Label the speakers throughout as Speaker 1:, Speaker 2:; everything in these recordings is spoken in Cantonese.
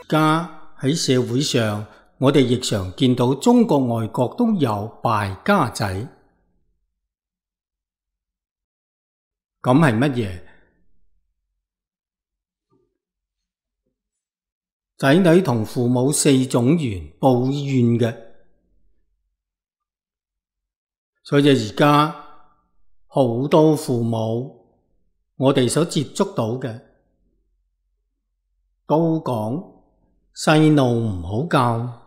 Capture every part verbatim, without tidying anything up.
Speaker 1: 家喺社會上，我哋亦常見到中國外國都有敗家仔。咁係乜嘢？仔女同父母四種緣報怨嘅。所以而家好多父母，我哋所接觸到嘅，都講細路唔好教。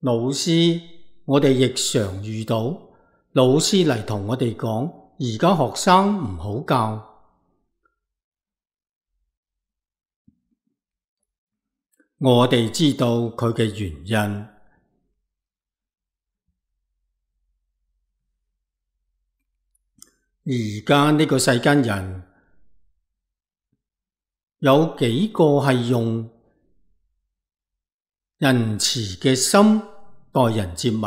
Speaker 1: 老師，我哋亦常遇到老師嚟同我哋講，而家學生唔好教。我哋知道佢嘅原因。而家呢個世間人，有幾個係用仁慈嘅心待人接物？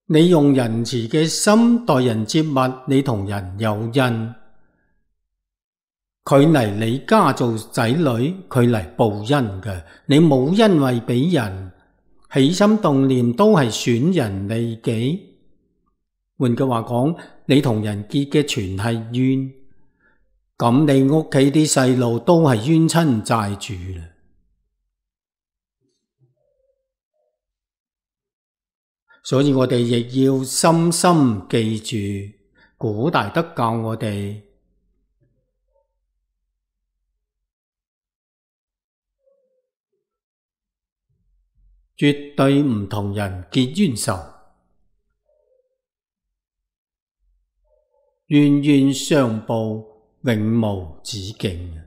Speaker 1: 你用仁慈嘅心待人接物，你同人有恩。佢嚟你家做仔女，佢嚟報恩嘅。你冇因為俾人起心動念，都係損人利己。換句話講，你同人結嘅全係怨，咁你屋企啲細路都係冤親債主啦。所以我哋亦要深深記住，古大德教我哋絕對唔同人結冤仇，冤冤相報，永無止境。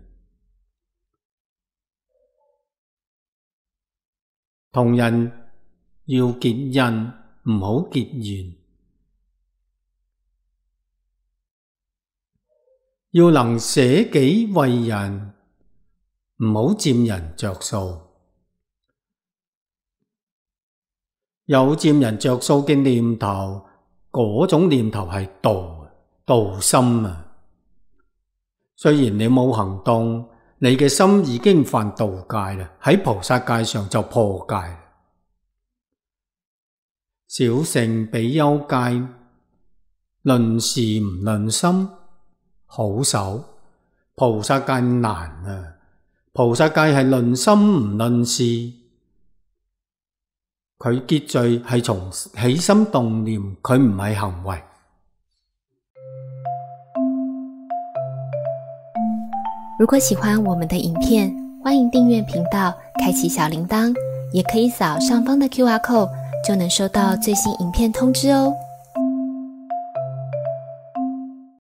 Speaker 1: 同人要結恩，唔好結怨。要能捨己為人，唔好佔人着數。有佔人着數嘅念頭，嗰種念頭係妒，妒心啊！雖然你冇行動，你嘅心已經犯道戒啦，喺菩薩戒上就破戒。小乘比丘戒，論事唔論心，好守。菩薩戒難啊！菩薩戒係論心唔論事。佢結罪係從起心動念，佢唔係行為。
Speaker 2: 如果喜歡我們的影片，歡迎訂閱頻道，開啟小鈴鐺，也可以掃上方的 Q R code，就能收到最新影片通知哦。